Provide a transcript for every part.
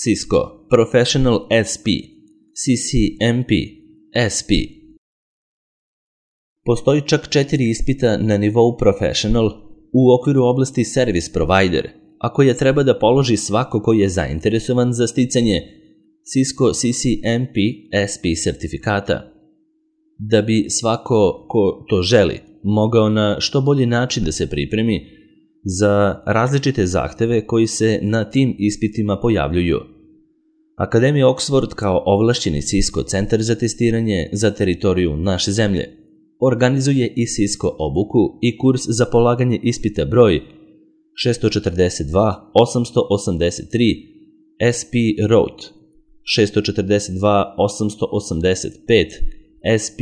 Cisco Professional SP, CCNP, SP. Postoji čak 4 ispita na nivou Professional u okviru oblasti Service Provider, a koje treba da položi svako ko je zainteresovan za sticanje Cisco CCNP SP sertifikata. Da bi svako ko to želi mogao na što bolji način da se pripremi za različite zahteve koji se na tim ispitima pojavljuju. Akademija Oxford kao ovlašćeni Cisco centar za testiranje za teritoriju naše zemlje organizuje i Cisco obuku i kurs za polaganje ispita broj 642 883 SP Road, 642 885 SP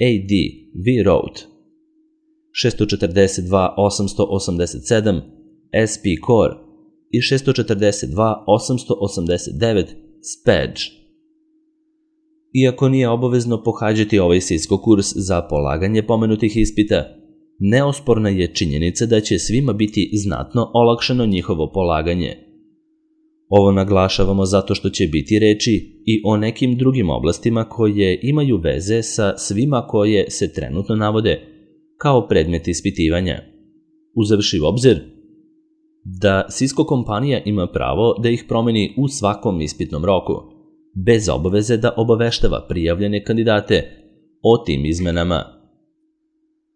AD V Road, 642 887 SP Core i 642 889 SPEDGE. Iako nije obavezno pohađati ovaj Cisco kurs za polaganje pomenutih ispita, neosporna je činjenica da će svima biti znatno olakšano njihovo polaganje. Ovo naglašavamo zato što će biti reči i o nekim drugim oblastima koje imaju veze sa svima koje se trenutno navode kao predmet ispitivanja. Uzevši u obzir da Cisco kompanija ima pravo da ih promeni u svakom ispitnom roku, bez obaveze da obaveštava prijavljene kandidate o tim izmenama.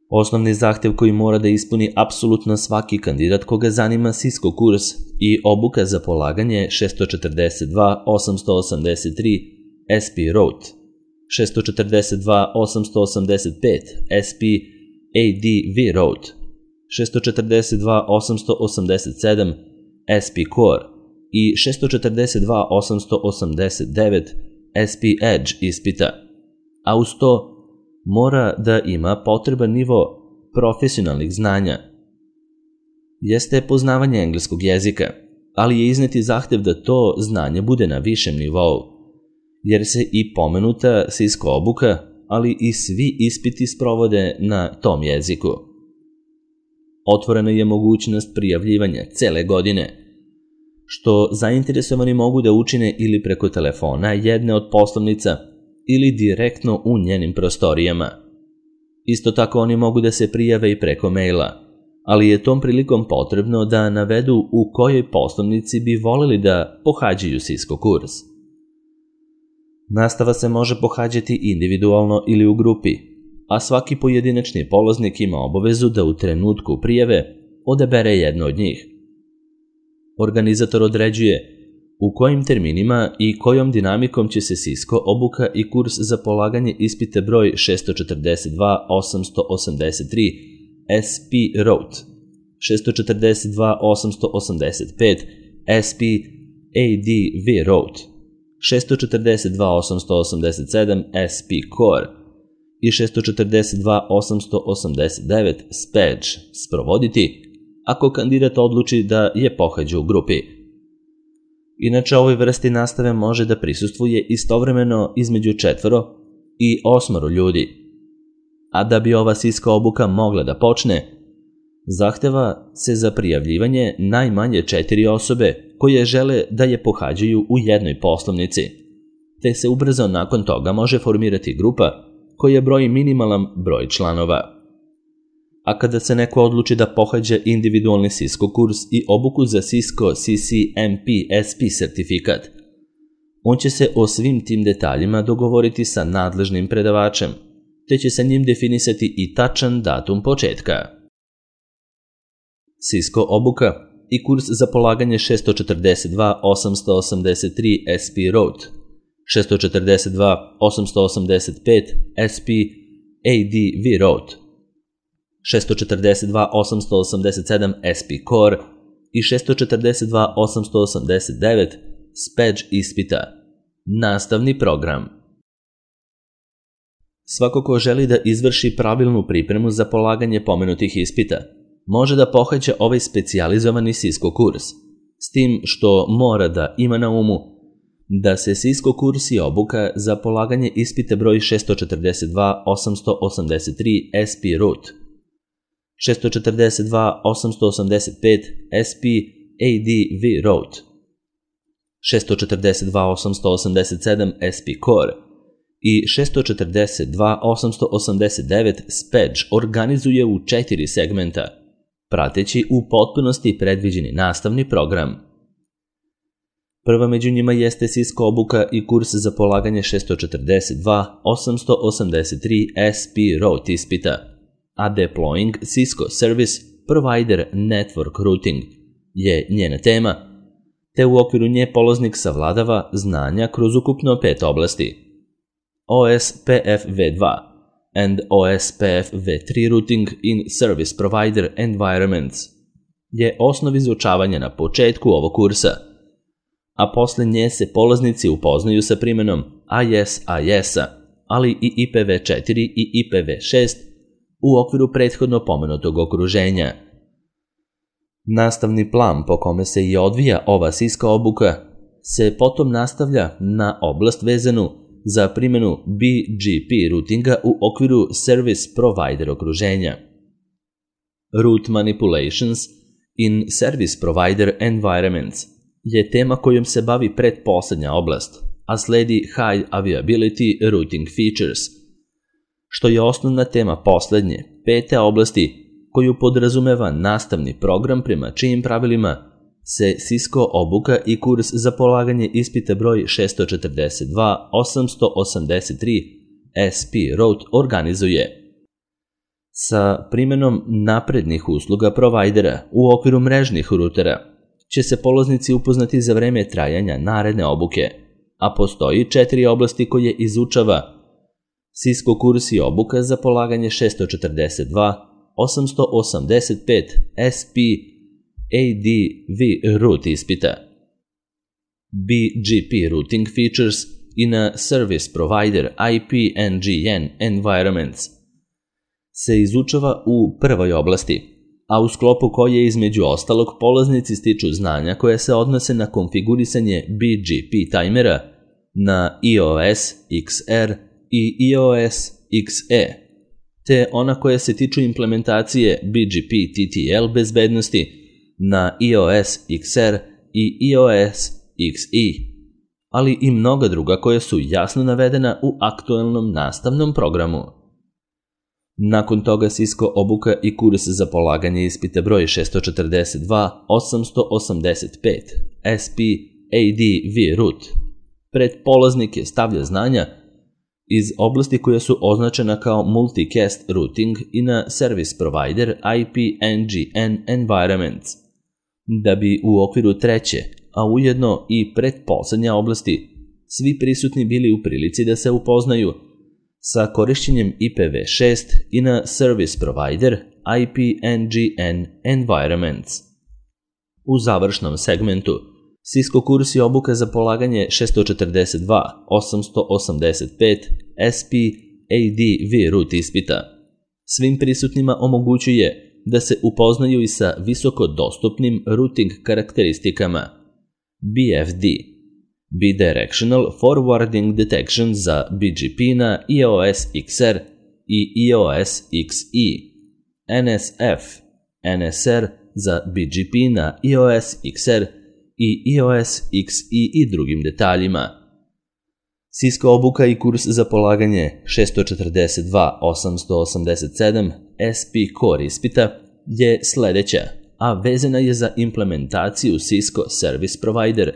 Osnovni zahtev koji mora da ispuni apsolutno svaki kandidat koga zanima Cisco kurs i obuka za polaganje 642 883 SP Road, 642 885 SP AD V Road, 642 887 SP Core i 642 889 SP Edge ispita, a uz to mora da ima potreban nivo profesionalnih znanja. Jeste poznavanje engleskog jezika, ali je izneti zahtev da to znanje bude na višem nivou, jer se i pomenuta Cisco obuka, ali i svi ispiti sprovode na tom jeziku. Otvorena je mogućnost prijavljivanja cele godine, što zainteresovani mogu da učine ili preko telefona jedne od poslovnica ili direktno u njenim prostorijama. Isto tako oni mogu da se prijave i preko maila, ali je tom prilikom potrebno da navedu u kojoj poslovnici bi voleli da pohađaju Cisco kurs. Nastava se može pohađati individualno ili u grupi, a svaki pojedinačni polaznik ima obavezu da u trenutku prijave odabere jedno od njih. Organizator određuje u kojim terminima i kojom dinamikom će se Cisco obuka i kurs za polaganje ispita broj 642 883 SP Road, 642 885 SP AD V Road, 642 887 SP Core i 642 889 SPEDGE sprovoditi ako kandidat odluči da je pohađa u grupi. Inače, ovoj vrsti nastave može da prisustvuje istovremeno između 4 i 8 ljudi. A da bi ova Cisco obuka mogla da počne, zahteva se za prijavljivanje najmanje 4 osobe koje žele da je pohađaju u jednoj poslovnici, te se ubrzo nakon toga može formirati grupa koja broji minimalan broj članova. A kada se neko odluči da pohađa individualni Cisco kurs i obuku za Cisco CCNP SP sertifikat, on će se o svim tim detaljima dogovoriti sa nadležnim predavačem, te će sa njim definisati i tačan datum početka. Cisco obuka i kurs za polaganje 642 883 SP Road, 642 885 SP AD V Road, 642 887 SP Core i 642 889 SPEDGE ispita. Nastavni program. Svako ko želi da izvrši pravilnu pripremu za polaganje pomenutih ispita, može da pohađa ovaj specijalizovani Cisco kurs, s tim što mora da ima na umu da se Cisco kurs i obuka za polaganje ispita broj 642 883 SP Root, 642 885 SP AD V Road, 642.887 SP Core i 642.889 SPEDGE organizuje u 4 segmenta, prateći u potpunosti predviđeni nastavni program. Prva među njima jeste Cisco obuka i kurs za polaganje 642.883 SP Route ispita, a Deploying Cisco Service Provider Network Routing je njena tema, te u okviru nje polaznik savladava znanja kroz ukupno 5 oblasti: OSPF V2 and OSPF V3 Routing in Service Provider Environments je osnov izučavanja na početku ovog kursa, a posle nje se polaznici upoznaju sa primenom ISIS-a, ali i IPv4 i IPv6 u okviru prethodno pomenutog okruženja. Nastavni plan po kome se i odvija ova Cisco obuka se potom nastavlja na oblast vezanu za primjenu BGP routinga u okviru Service Provider okruženja. Route Manipulations in Service Provider Environments je tema kojom se bavi pretposlednja oblast, a sledi High Availability Routing Features, što je osnovna tema poslednje, 5. oblasti, koju podrazumeva nastavni program prema čijim pravilima se Cisco obuka i kurs za polaganje ispita broj 642.883 SP Route organizuje. Sa primjenom naprednih usluga provajdera u okviru mrežnih rutera će se polaznici upoznati za vreme trajanja naredne obuke, a postoji 4 oblasti koje izučava Cisco kurs i obuka za polaganje 642.885 SP ADV route ispita. BGP routing features in a service provider IP-NGN environments se izučava u prvoj oblasti, a u sklopu koje između ostalog polaznici stiču znanja koje se odnose na konfigurisanje BGP tajmera na iOS XR i iOS XE, te ona koje se tiču implementacije BGP TTL bezbednosti na iOS XR i iOS XE, ali i mnoga druga koja su jasno navedena u aktualnom nastavnom programu. Nakon toga Cisco obuka i kurs za polaganje ispita broj 642.885 SP ADV route pred polaznike stavlja znanja iz oblasti koja su označena kao Multicast Routing in a Service Provider IP-NGN Environments, da bi u okviru treće, a ujedno i pretposlednja oblasti, svi prisutni bili u prilici da se upoznaju sa korišćenjem IPv6 in a Service Provider IP-NGN Environments. U završnom segmentu Cisco kurs i obuka za polaganje 642.885 SP ADV route ispita svim prisutnima omogućuje da se upoznaju i sa visoko dostupnim routing karakteristikama BFD, Bidirectional Forwarding Detection za BGP na iOS XR i iOS XE, NSF, NSR za BGP na iOS XR i iOS XE i drugim detaljima. Cisco obuka i kurs za polaganje 642.887 SP Core ispita je sledeća, a vezana je za implementaciju Cisco Service Provider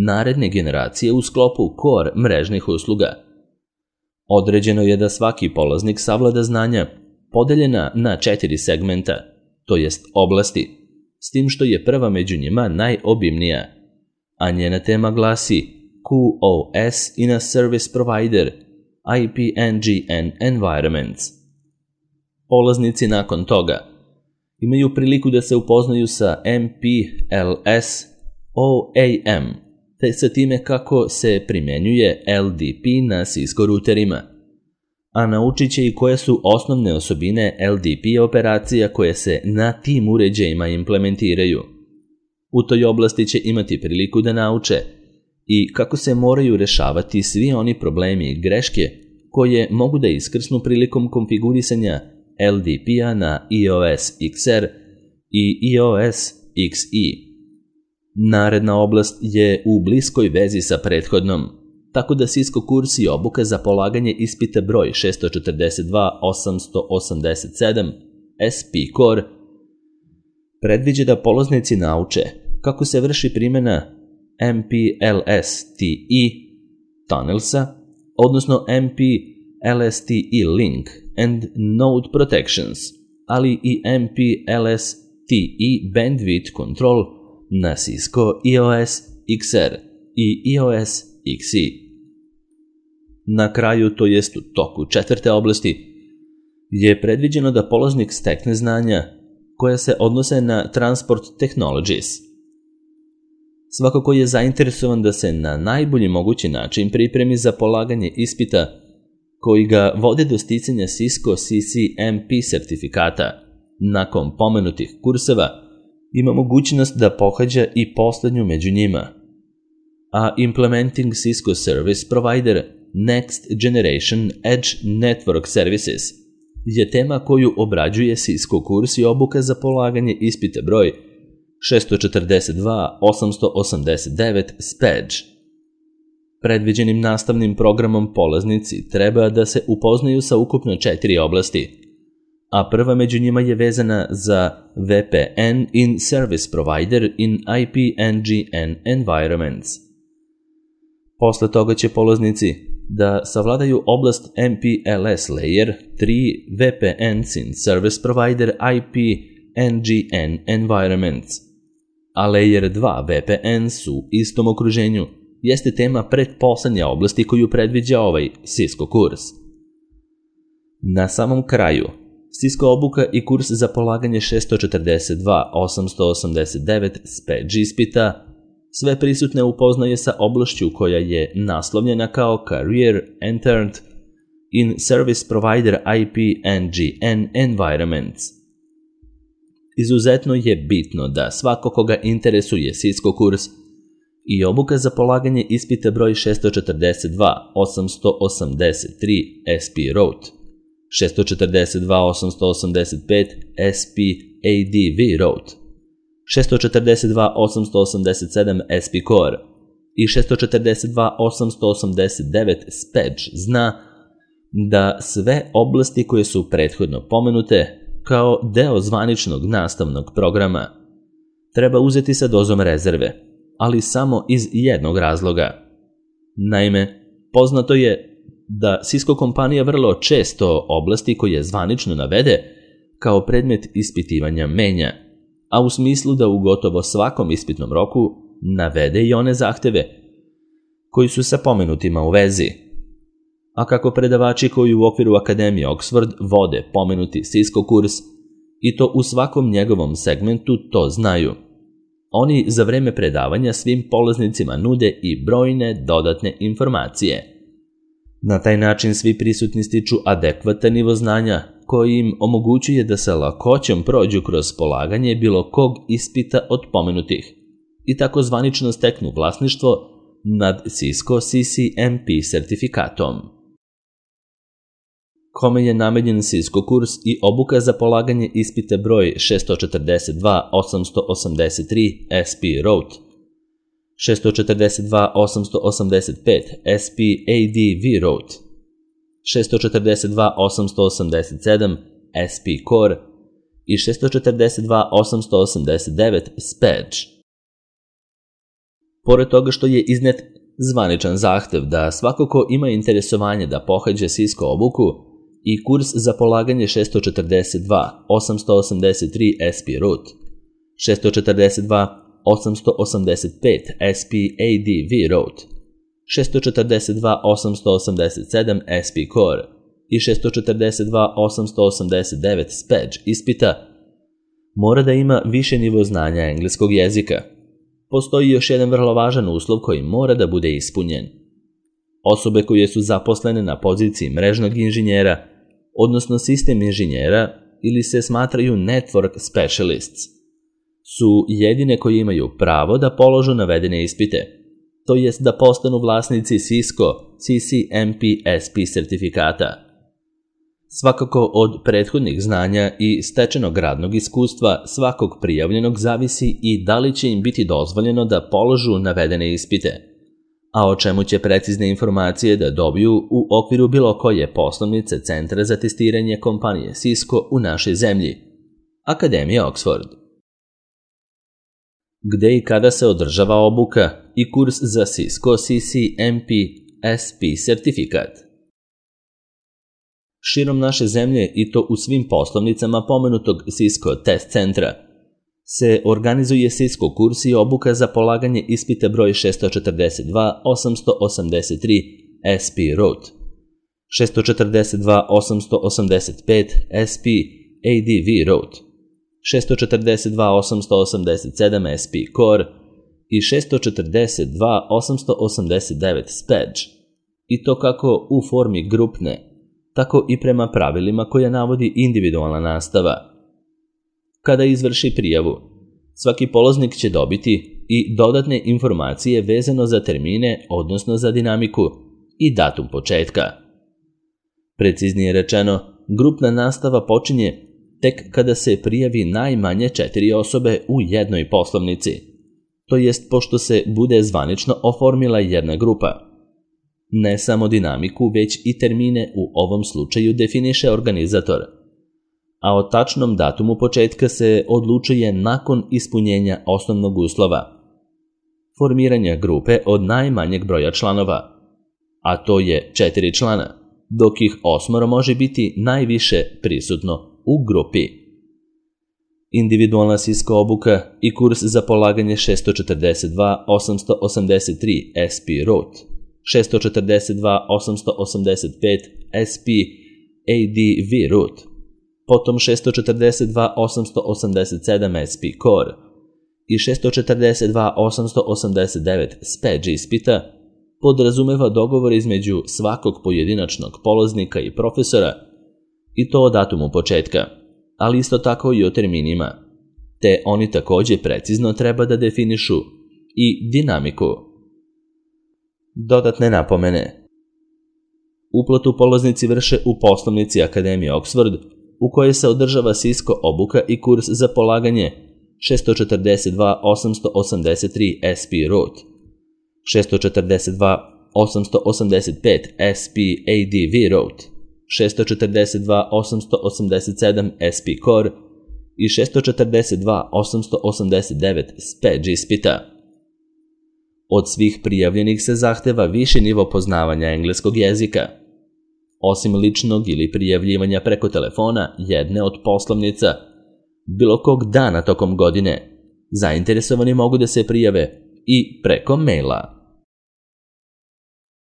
naredne generacije u sklopu Core mrežnih usluga. Određeno je da svaki polaznik savlada znanja podeljena na 4 segmenta, to jest oblasti, s tim što je prva među njima najobimnija, a njena tema glasi QoS in a Service Provider IP-NGN Environments. Polaznici nakon toga imaju priliku da se upoznaju sa MPLS OAM, te sa time kako se primjenjuje LDP na Cisco routerima, a naučit će i koje su osnovne osobine LDP operacija koje se na tim uređajima implementiraju. U toj oblasti će imati priliku da nauče i kako se moraju rešavati svi oni problemi i greške koje mogu da iskrsnu prilikom konfigurisanja LDP-a na iOS XR i iOS XE. Naredna oblast je u bliskoj vezi sa prethodnom, tako da Cisco kurs i obuka za polaganje ispita broj 642-887 SP Core predviđa da polaznici nauče kako se vrši primjena MPLS-TE tunnelsa, odnosno MPLS-TE link and node protections, ali i MPLS-TE bandwidth control na Cisco EOS XR i EOS XE. Na kraju, to jest u toku četvrte oblasti, je predviđeno da polaznik stekne znanja koja se odnose na Transport Technologies. Svako ko je zainteresovan da se na najbolji mogući način pripremi za polaganje ispita koji ga vode do sticanja Cisco CCNP sertifikata, nakon pomenutih kurseva ima mogućnost da pohađa i poslednju među njima, a Implementing Cisco Service Provider Next Generation Edge Network Services je tema koju obrađuje Cisco kurs i obuka za polaganje ispita broj 642-889 SPEDGE. Predviđenim nastavnim programom polaznici treba da se upoznaju sa ukupno 4 oblasti, a prva među njima je vezana za VPN in Service Provider in IP/NGN Environments. Posle toga će polaznici da savladaju oblast MPLS Layer 3 VPNs in Service Provider IP/NGN Environments, a Layer 2 VPNs u istom okruženju jeste tema pretposlednje oblasti koju predviđa ovaj Cisco kurs. Na samom kraju, Cisco obuka i kurs za polaganje 642-889 SPEDGE ispita sve prisutne upoznaje sa oblašću koja je naslovljena kao Career Entered in Service Provider IP/NGN Environments. Izuzetno je bitno da svako koga interesuje Cisco kurs i obuka za polaganje ispita broj 642-883 SP Route, 642-885 SP ADV Route, 642-887 SP Core i 642-889 SPEDGE zna da sve oblasti koje su prethodno pomenute kao deo zvaničnog nastavnog programa treba uzeti sa dozom rezerve, ali samo iz jednog razloga. Naime, poznato je da Cisco kompanija vrlo često oblasti koje zvanično navede kao predmet ispitivanja menja, a u smislu da u gotovo svakom ispitnom roku navede i one zahteve koji su sa pomenutima u vezi. A kako predavači koji u okviru Akademije Oxford vode pomenuti Cisco kurs i to u svakom njegovom segmentu to znaju, oni za vreme predavanja svim polaznicima nude i brojne dodatne informacije. Na taj način svi prisutni stiču adekvatan nivo znanja koji im omogućuje da sa lakoćom prođu kroz polaganje bilo kog ispita od pomenutih i tako zvanično steknu vlasništvo nad Cisco CCNP sertifikatom. Kome je namenjen Cisco kurs i obuka za polaganje ispita broj 642-883 SP Route, 642-885 SP ADV Route, 642-887 SP Core i 642-889 SPEDGE. Pored toga što je iznet zvaničan zahtev da svako ko ima interesovanje da pohađa Cisco obuku i kurs za polaganje 642-883 SP Route, 642-885 SP ADV Route, 642-887 SP Core i 642-889 SPEDGE ispita mora da ima više nivo znanja engleskog jezika. Postoji još jedan vrlo važan uslov koji mora da bude ispunjen. Osobe koje su zaposlene na poziciji mrežnog inženjera, odnosno sistem inženjera ili se smatraju network specialists, su jedine koje imaju pravo da položu navedene ispite, to jest da postanu vlasnici Cisco CCNP SP sertifikata. Svakako od prethodnih znanja i stečenog radnog iskustva svakog prijavljenog zavisi i da li će im biti dozvoljeno da položu navedene ispite, a o čemu će precizne informacije da dobiju u okviru bilo koje poslovnice Centra za testiranje kompanije Cisco u našoj zemlji, Akademija Oxford. Gde i kada se održava obuka i kurs za Cisco CCNP SP sertifikat? Širom naše zemlje i to u svim poslovnicama pomenutog Cisco test centra se organizuje Cisco kurs i obuka za polaganje ispita broj 642-883 SP Root, 642-885 SP ADV Root, 642-887 SP Core i 642-889 Spedge, i to kako u formi grupne, tako i prema pravilima koja navodi individualna nastava. Kada izvrši prijavu, svaki polaznik će dobiti i dodatne informacije vezano za termine, odnosno za dinamiku i datum početka. Preciznije rečeno, grupna nastava počinje tek kada se prijavi najmanje 4 osobe u jednoj poslovnici, to jest pošto se bude zvanično oformila jedna grupa. Ne samo dinamiku, već i termine u ovom slučaju definiše organizator, a o tačnom datumu početka se odlučuje nakon ispunjenja osnovnog uslova, formiranja grupe od najmanjeg broja članova, a to je 4 člana, dok ih 8 može biti najviše prisutno u grupi. Individualna Cisco obuka i kurs za polaganje 642-883 SP Root, 642-885 SP ADV Root, potom 642-887 SP Core i 642-889 Spedge ispita podrazumeva dogovor između svakog pojedinačnog polaznika i profesora, i to o datumu početka, ali isto tako i o terminima, te oni također precizno treba da definišu i dinamiku. Dodatne napomene. Uplatu polaznici vrše u poslovnici Akademije Oxford, u kojoj se održava Cisco obuka i kurs za polaganje 642-883 SP Root, 642-885 SP ADV Root, 642-887 SP Core i 642-889 Spedge ispita. Od svih prijavljenih se zahteva viši nivo poznavanja engleskog jezika. Osim ličnog ili prijavljivanja preko telefona jedne od poslovnica, bilo kog dana tokom godine, zainteresovani mogu da se prijave i preko maila.